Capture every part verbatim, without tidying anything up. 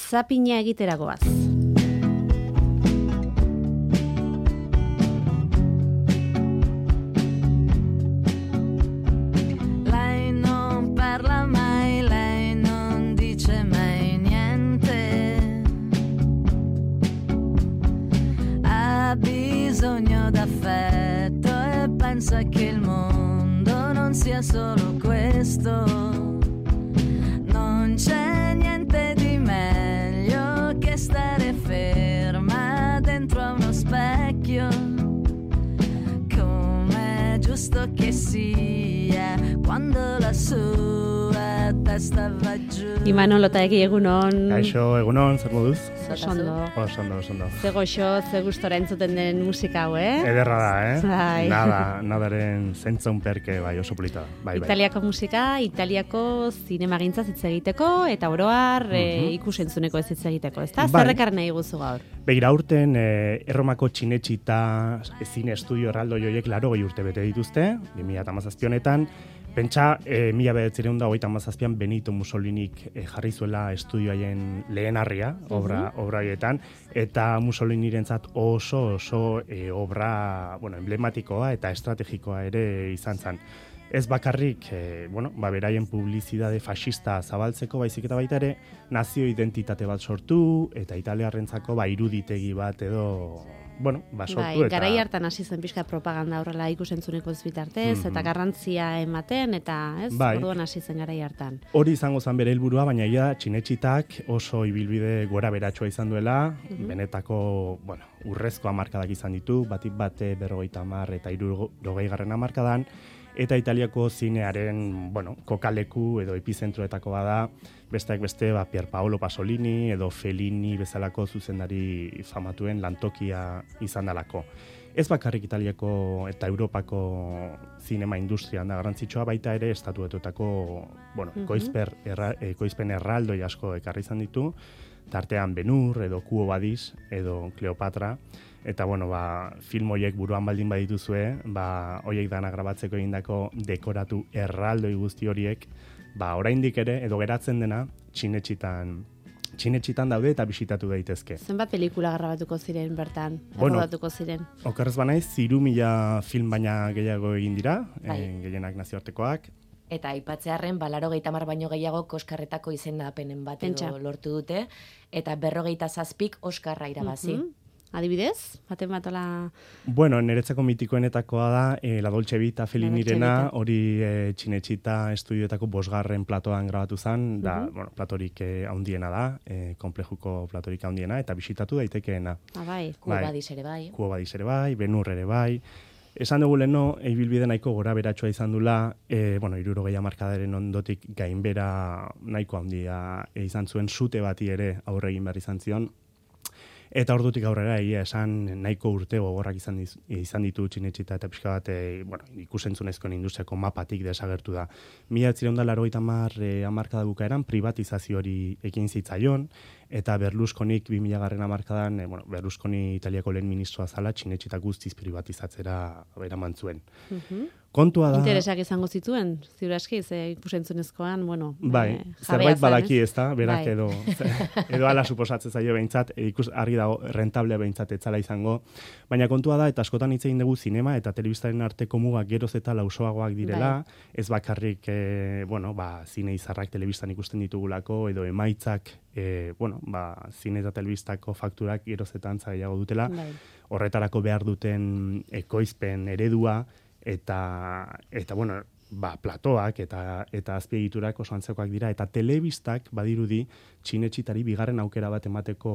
zapina egiteragoaz. Pensa che il mondo non sia solo questo, non c'è niente di meglio che stare ferma dentro a uno specchio, come giusto che sia quando la sua testa va giù. Imanol Otaegi, egunon. Kaixo, egunon, zer moduz? Osondo. Osondo, osondo. Ze goxo, ze gustora entzuten den musika hau, eh? Ederra da, eh? Bai. Nada, nadaren zentzaun perke, bai, oso polita da. Bai, bai. Italiako musika, Italiako zinemagintza hitz egiteko, eta oroar mm -hmm. e, ikusentzuneko ez hitz egiteko, ezta? Bai. Zerrekar nahi guzu gaur? Begira, aurten eh, Erromako txinetxita zine estudio erraldo joiek laro gehi urte bete dituzte, bi mila hamazazpi honetan. Pentsa, e, mila bederatziehun eta hogeita hamazazpian Benito Mussolinik e, jarri zuela estudioaien lehenarria, obra, uh-huh. obra horietan, eta Mussolinirentzat oso oso e, obra bueno, emblematikoa eta estrategikoa ere izan zen. Ez bakarrik, e, bueno, ba, beraien publizidade fascista zabaltzeko, baizik eta baita ere, nazio identitate bat sortu, eta italiarrentzako ba, iruditegi bat edo... Bueno, ba, sortu bai, eta... garai hartan hasi zen pixka propaganda horrela ikusentzuneko ez bitartez, mm-hmm. eta garrantzia ematen, eta ez, bai. orduan hasi zen garai hartan. Hori izango zen bere helburua, baina ia txinetxitak oso ibilbide gora beratsua izan duela, mm-hmm. benetako, bueno, urrezko hamarkadak izan ditu, batik bate berrogeita hamar eta hirurogei garren hamarkadan, eta Italiako zinearen, bueno, kokaleku edo epizentroetako bada, besteak beste, ba, Pier Paolo Pasolini edo Fellini bezalako zuzendari famatuen lantokia izan dalako. Ez bakarrik Italiako eta Europako zinema industrian da garrantzitsua, baita ere estatuetutako, bueno, mm-hmm. koizper, erra, e, koizpen erraldoi asko ekarri izan ditu, tartean Ben-Hur edo Quo Vadis edo Cleopatra. Eta, bueno, ba, film horiek buruan baldin badituzue, ba, horiek dana grabatzeko egindako dekoratu erraldoi guzti horiek, ba, oraindik ere, edo geratzen dena, txinetxitan, txinetxitan daude eta bisitatu daitezke. Zenbat pelikula grabatuko ziren bertan, bueno, errodatuko ziren? Okerrez banaiz, ziru mila film baina gehiago egin dira, bai. e, gehienak nazioartekoak. Eta aipatzearren, balaro gehieta mar baino gehiago Oskarretako izendapenen bat edo lortu dute, eta berrogeita zazpik Oskarra irabazi. Mm-hmm. Adibidez, baten batola... Bueno, niretzako mitikoenetakoa da, eh, La Dolce Vita Fellinirena, hori eh, txinetxita estudioetako bosgarren platoan grabatu zen, da, uh-huh. bueno, platorik eh, haundiena da, eh, komplejuko platorik haundiena, eta bisitatu daitekeena. Ah, bai. Quo Vadis ere bai. Quo Vadis ere bai, Ben-Hur ere bai. Esan dugu leheno, ibilbide nahiko gora beratsua izan dula, e, bueno, hirurogei hamarkadaren ondotik gainbera nahiko handia izan zuen, sute bati ere aurre egin behar izan zion. Eta ordutik aurrera egia esan nahiko urte gogorrak izan, diz, izan ditu txinetxita eta pixka bat e, bueno, ikusentzunezkoen industriako mapatik desagertu da. Mila bederatziehun eta laurogeita hamar e, hamarkada bukaeran privatizazio hori ekin zitzaion, eta Berlusconik bi mila garren hamarkadan, e, bueno, Berlusconi Italiako lehen ministroa zala txinetxita guztiz privatizatzera eraman zuen. Mm-hmm. Kontua da... Interesak izango zituen, ziur aski, ze ikusentzunezkoan, bueno... Bai, eh, zerbait badaki ez da, berak bai. edo, edo ala suposatzen zaio behintzat, ikus argi dago rentable behintzat etzala izango, baina kontua da, eta askotan hitz egin dugu zinema eta telebistaren arteko mugak geroz eta lausoagoak direla, bai. Ez bakarrik, e, bueno, ba, zine izarrak telebistan ikusten ditugulako, edo emaitzak, e, bueno, ba, zine eta telebistako fakturak geroz eta antza gehiago dutela, bai. Horretarako behar duten ekoizpen eredua, eta, eta bueno, ba, platoak eta, eta azpiegiturak oso antzekoak dira, eta telebistak badirudi txinetxitari bigarren aukera bat emateko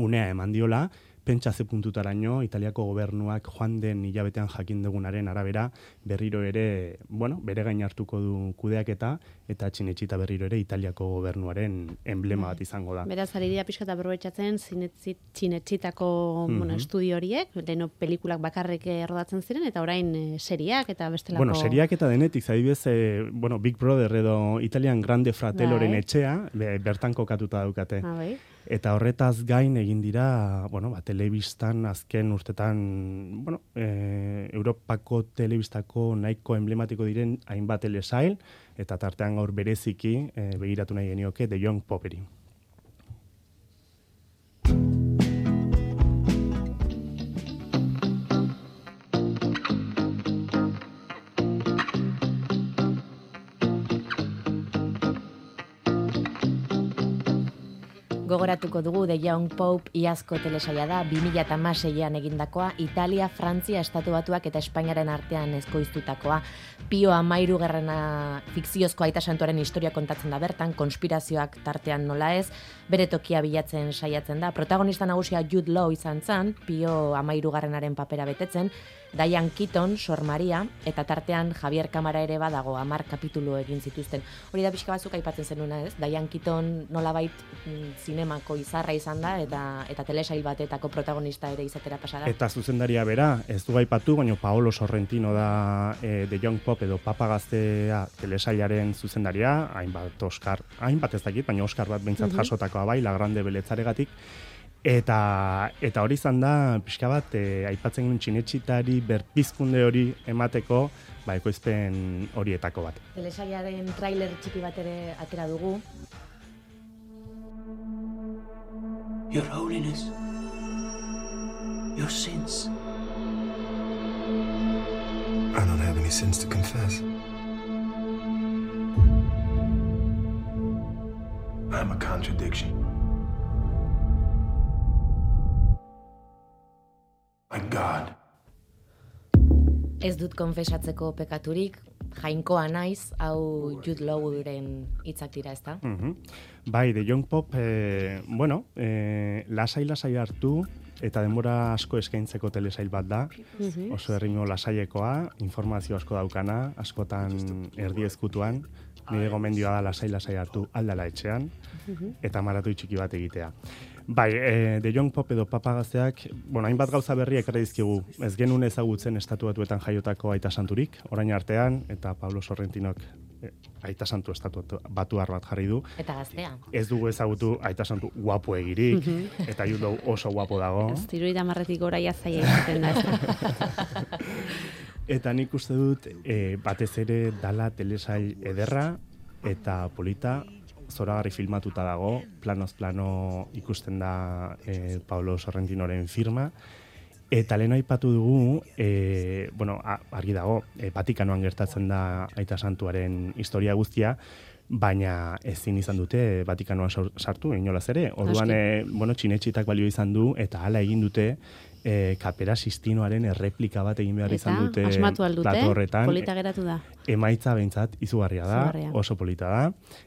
unea eman diola, pentsa ze puntutaraino Italiako gobernuak joan den hilabetean jakin dugunaren arabera berriro ere, bueno, bere gain hartuko du kudeaketa eta txinetxita berriro ere Italiako gobernuaren emblema bat izango da. Beraz, ari dira pixka eta berroetxatzen txinetxitako mm-hmm. bueno, estudio horiek, leheno pelikulak bakarrik errodatzen ziren, eta orain e, seriak eta bestelako... Bueno, seriak eta denetik, zaibidez, e, bueno, Big Brother edo Italian Grande Fratelloren etxea, be, bertan kokatuta daukate. Ah, bai. Eta horretaz gain egin dira, bueno, ba, telebistan azken urtetan, bueno, e, Europako telebistako nahiko emblematiko diren hainbat telesail, eta tartean gaur bereziki e, begiratu nahi genioke The Young Popery. Gogoratuko dugu The Young Pope iazko telesaila da, bi mila hamaseian egindakoa, Italia, Frantzia, Estatu Batuak eta Espainiaren artean ezkoiztutakoa. Pio Hamahirugarrena fikziozko aita santuaren historia kontatzen da bertan, konspirazioak tartean nola ez, bere tokia bilatzen saiatzen da. Protagonista nagusia Jude Law izan zen, Pio Hamahirugarrenaren papera betetzen, Diane Keaton, Sor Maria, eta tartean Javier Kamara ere badago, hamar kapitulu egin zituzten. Hori da pixka batzuk aipatzen zenuna, ez? Diane Keaton nolabait mm, zinemako izarra izan da, eta eta telesail batetako protagonista ere izatera pasada. Eta zuzendaria bera, ez du aipatu, baina Paolo Sorrentino da e, The Young Pope edo Papa Gaztea telesailaren zuzendaria, hainbat Oscar, hainbat ez dakit, baina Oscar bat behintzat uh -huh. jasotakoa bai, La Grande Beletzaregatik. Eta eta hori izan da, pixka bat, e, aipatzen genuen txinetxitari berpizkunde hori emateko, ba, ekoizpen horietako bat. Telesailaren trailer txiki bat ere atera dugu. Your Holiness, your sins. I don't have any sins to confess. I'm a contradiction. My God. Ez dut konfesatzeko pekaturik, jainkoa naiz, hau Jude Lawren hitzak dira, ezta? Mm-hmm. Bai, The Young Pope, eh, bueno, eh, lasai-lasai hartu, eta denbora asko eskaintzeko telesail bat da, mm-hmm. oso erritmo lasaiekoa, informazio asko daukana, askotan erdi ezkutuan, nire gomendioa da lasai-lasai hartu aldala etxean, mm-hmm. eta maratoi txiki bat egitea. Bai, e, The Young Pope edo Papa Gazteak, bueno, hainbat gauza berri ekarri dizkigu. Ez genuen ezagutzen Estatu Batuetan jaiotako aita santurik, orain artean, eta Pablo Sorrentinok e, aita santu Estatu Batuar bat jarri du. Eta gaztea. Ez dugu ezagutu aita santu guapo egirik, mm-hmm. eta Jude oso guapo dago. Ez tiruita marretik gora jazaia izaten da. Eta nik uste dut, e, batez ere dala telesail ederra eta polita, zoragarri filmatuta dago, planoz plano ikusten da e, Paolo Sorrentinoren firma, eta lehen aipatu dugu, e, bueno, argi dago, e, Vatikanoan gertatzen da aita santuaren historia guztia, baina ezin izan dute Vatikanoan sartu, inolaz ere. Orduan, e, bueno, txinetxitak balio izan du, eta hala egin dute, E, Kapera Sistinoaren erreplika bat egin behar izan dute plato horretan. Polita geratu da. Emaitza behintzat izugarria da, Zugarria. Oso polita da,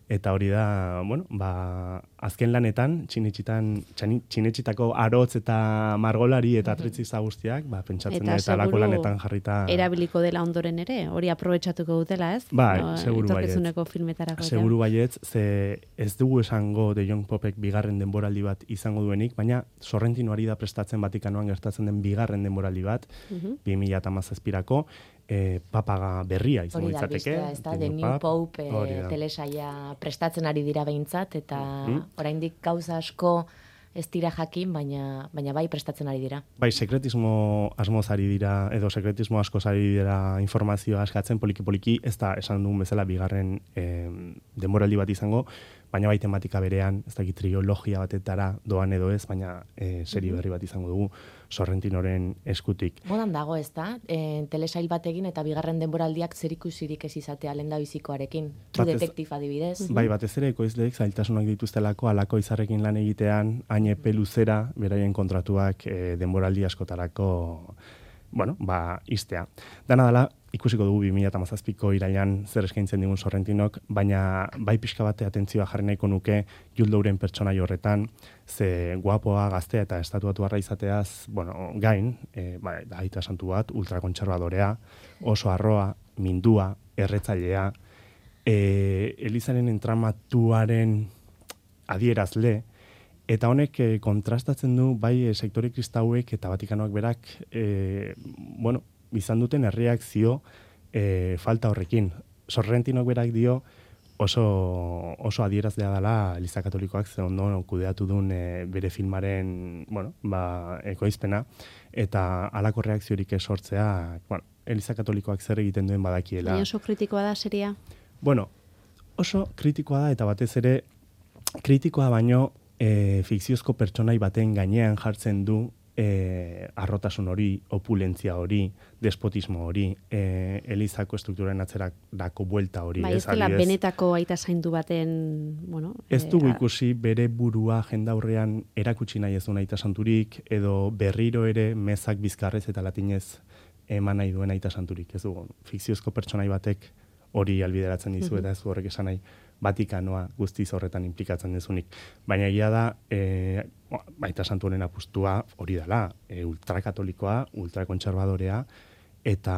eta hori da, bueno, ba, azken lanetan, txinetxitan, txinetxitako arotz eta margolari eta atretziza guztiak, ba, pentsatzen da, eta lako lanetan jarrita... erabiliko dela ondoren ere, hori aprobetxatuko dutela, ez? Bai, no, seguru baietz. Filmetarako. Seguru baietz, ze ez dugu esango The Young Popek bigarren denboraldi bat izango duenik, baina Sorrentino ari da prestatzen Vatikanoan gertatzen den bigarren denboraldi bat, uh-huh. bi mila hamazazpirako, e, papaga berria izango izateke. Hori da, biztea, The New Pope e, telesaia prestatzen ari dira behintzat, eta uh-huh. oraindik gauza asko ez dira jakin, baina, baina bai prestatzen ari dira. Bai, sekretismo asmoz ari dira, edo sekretismo askoz ari dira informazioa askatzen poliki-poliki, ez da esan dugun bezala bigarren e, denboraldi bat izango, baina bai tematika berean, ez dakit trilogia batetara doan edo ez, baina e, serie berri bat izango dugu Sorrentinoren eskutik. Modan dago, ez da? E, telesail bat egin eta bigarren denboraldiak zerikusirik ez izatea lenda bizikoarekin. True Detective adibidez. Bai, batez ere ekoizleek zailtasunak dituztelako alako izarrekin lan egitean, hain epe luzera, beraien kontratuak e, denboraldi askotarako, bueno, ba, iztea. Dana dela, ikusiko dugu bi mila hamazazpiko irailan zer eskaintzen digun Sorrentinok, baina bai pixka bate atentzioa jarri nahiko nuke Jude Lawren pertsonai horretan, ze guapoa, gaztea eta estatuatuarra izateaz, bueno, gain, e, ba, da aita santu bat, ultrakontserbadorea, oso arroa, mindua, erretzailea, e, Elizaren entramatuaren adierazle, eta honek e, kontrastatzen du bai e, sektore kristauek eta Vatikanoak berak, e, bueno, izan duten erreakzio e, falta horrekin. Sorrentinok berak dio oso, oso adierazlea dela Eliza Katolikoak ze ondo kudeatu duen e, bere filmaren, bueno, ba, ekoizpena, eta halako reakziorik esortzea, bueno, Eliza Katolikoak zer egiten duen badakiela. Baina oso kritikoa da seria? Bueno, oso kritikoa da, eta batez ere kritikoa baino e, fikziozko pertsonai baten gainean jartzen du e, arrotasun hori, opulentzia hori, despotismo hori, e, Elizako strukturen atzerako buelta hori. Bai, ez dela benetako aita zaindu baten, bueno... Ez dugu e, ikusi bere burua jendaurrean erakutsi nahi ez duen aita santurik, edo berriro ere mezak bizkarrez eta latinez eman nahi duen aita santurik. Ez dugu, fikziozko pertsonai batek hori albideratzen dizu, eta ez du horrek esan nahi Vatikanoa guztiz horretan implikatzen dezunik. Baina egia da, e, aita santu honen apustua hori dela, e, ultrakatolikoa, ultrakontserbadorea, eta,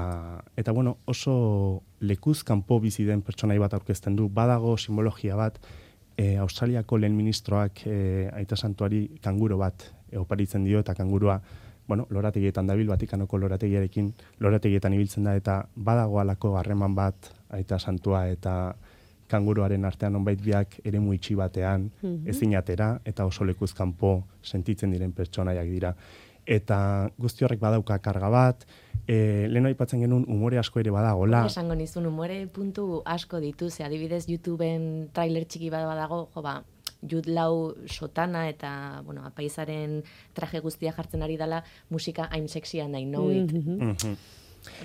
eta bueno, oso lekuz kanpo bizi den pertsonai bat aurkezten du, badago simbologia bat, e, Australiako lehen ministroak e, aita santuari kanguro bat e, oparitzen dio, eta kangurua bueno, lorategietan dabil, Vatikanoko lorategiarekin lorategietan ibiltzen da, eta badago alako harreman bat aita santua eta kanguruaren artean onbait biak eremu itxi batean, mm-hmm. ezin atera, eta oso lekuz kanpo sentitzen diren pertsonaiak dira. Eta guzti horrek badauka karga bat, e, lehen aipatzen genuen umore asko ere badagola. Esango nizun, umore puntu asko ditu, ze adibidez YouTubeen trailer txiki bat badago, jo ba, Jude Law sotana eta, bueno, apaizaren traje guztia jartzen ari dela, musika I'm sexy and I know it. Mm-hmm. Mm-hmm.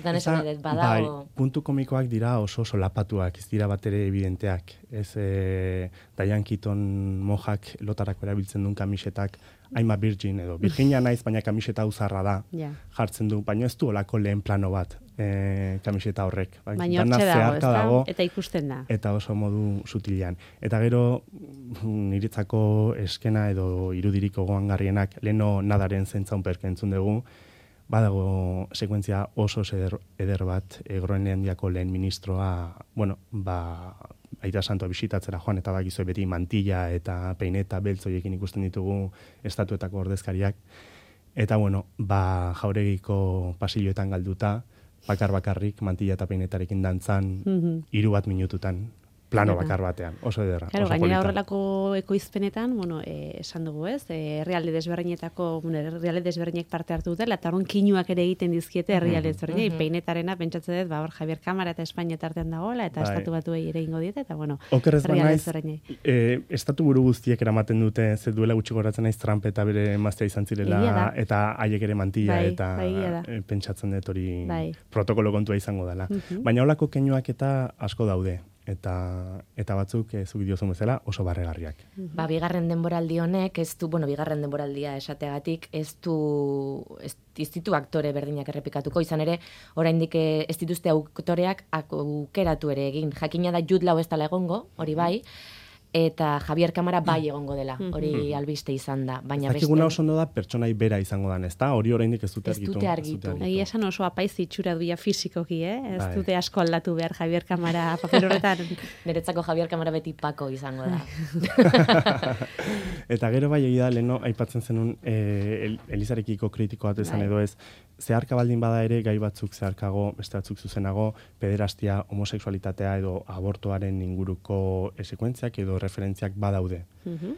Dan esan edet, badago... Bai, puntu komikoak dira oso oso lapatuak, ez dira batere evidenteak. Ez e, Diane Keaton mojak lotarako erabiltzen duen kamisetak, I'm a virgin edo, Virginia naiz, baina kamiseta uzarra da, yeah. jartzen du, baina ez du olako lehen plano bat e, kamiseta horrek. Bai, baina hortxe dago, ez dago, eta ikusten da. Eta oso modu sutilean. Eta gero, niretzako eskena edo irudiriko goangarrienak, leno nadaren zentzaun perke entzun dugu, badago sekuentzia oso eder, eder bat, e, Groenlandiako lehen ministroa, bueno, ba, aita santua bisitatzera joan, eta bakizue beti mantilla eta peineta beltzoiekin ikusten ditugu estatuetako ordezkariak. Eta, bueno, ba, jauregiko pasilloetan galduta, bakar-bakarrik, mantilla eta peinetarekin dantzan, mm-hmm. hiru bat minututan. Plano bakar batean, oso ederra. Claro, gainera horrelako ekoizpenetan, bueno, eh, esan dugu ez, eh, herrialde desberdinetako, bueno, herrialde desberdinek parte hartu dutela, eta horren kinuak ere egiten dizkiete herrialde desberdinei, mm-hmm. peinetarena pentsatzen dut, ba, hor Javier Kamara eta Espainia tartean dagoela, eta bai. Estatu batuei ere ingo diete, eta bueno, herrialde desberdinei. Eh, estatu buru guztiek eramaten dute, ze duela gutxi goratzen naiz Trump eta bere emaztea izan zirela, eta haiek ere mantilla, bai, eta bai, pentsatzen dut hori bai. protokolo kontua izango dela. Mm-hmm. Baina holako keinuak eta asko daude. Eta, eta batzuk e, zuk diozun bezala oso barregarriak. Ba, bigarren denboraldi honek, ez du, bueno, bigarren denboraldia esateagatik, ez du, ez, ez ditu aktore berdinak errepikatuko, izan ere, oraindik ez dituzte aktoreak aukeratu ere egin. Jakina da Jude Law ez dela egongo, hori bai, eta Javier Kamara bai egongo dela, hori albiste izan da. Baina ez dakiguna oso ondo da pertsonai bera izango dan, ez da? Hori oraindik ez dute argitu. Ez dute argitu. Egia esan oso apaiz itxura duia fisikoki, eh? Ez bai. Dute asko aldatu behar Javier Kamara papel horretan. Niretzako Javier Kamara beti Pako izango da. Eta gero bai egia da, leheno aipatzen zenun eh, Elizarekiko kritiko bat esan bai. Edo ez, zeharka baldin bada ere gai batzuk zeharkago, beste batzuk zuzenago, pederastia, homosexualitatea edo abortoaren inguruko sekuentziak edo referentziak badaude. Mm-hmm.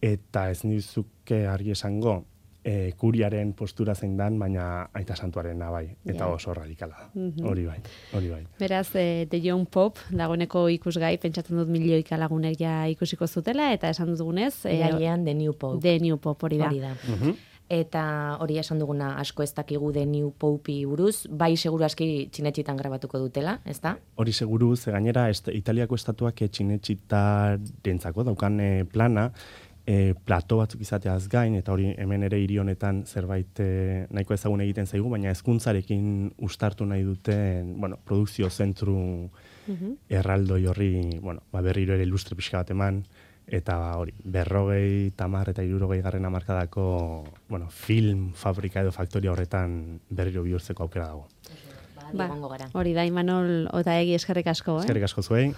Eta ez nizuke argi esango, e, kuriaren postura zein dan, baina aita santuarena bai, eta yeah. oso radikala da. Mm-hmm. Hori bai, hori bai. Beraz, e, The Young Pope, dagoeneko ikusgai, pentsatzen dut milioika lagunek ja ikusiko zutela, eta esan dut dugunez... Gailean The New Pope. The New Pope, hori da. Hori da. Mm-hmm. Eta hori esan duguna asko ez dakigu The New Pope buruz, bai seguru aski txinetxitan grabatuko dutela, ez da? Hori seguru, ze gainera est, Italiako estatuak txinetxitarentzako daukan e, plana, e, plato batzuk izateaz gain, eta hori hemen ere hiri honetan zerbait e, nahiko ezagun egiten zaigu, baina hezkuntzarekin ustartu nahi duten, bueno, produkzio zentru mm-hmm. erraldoi horri, bueno, ba, berriro ere ilustre pixka bat eman, eta hori, berrogei, tamar eta hirurogei garren hamarkadako, bueno, film, fabrika edo faktoria horretan berriro bihurtzeko aukera dago. Ba, hori da, Imanol Otaegi eskerrik asko, eh? Eskerrik asko zuei.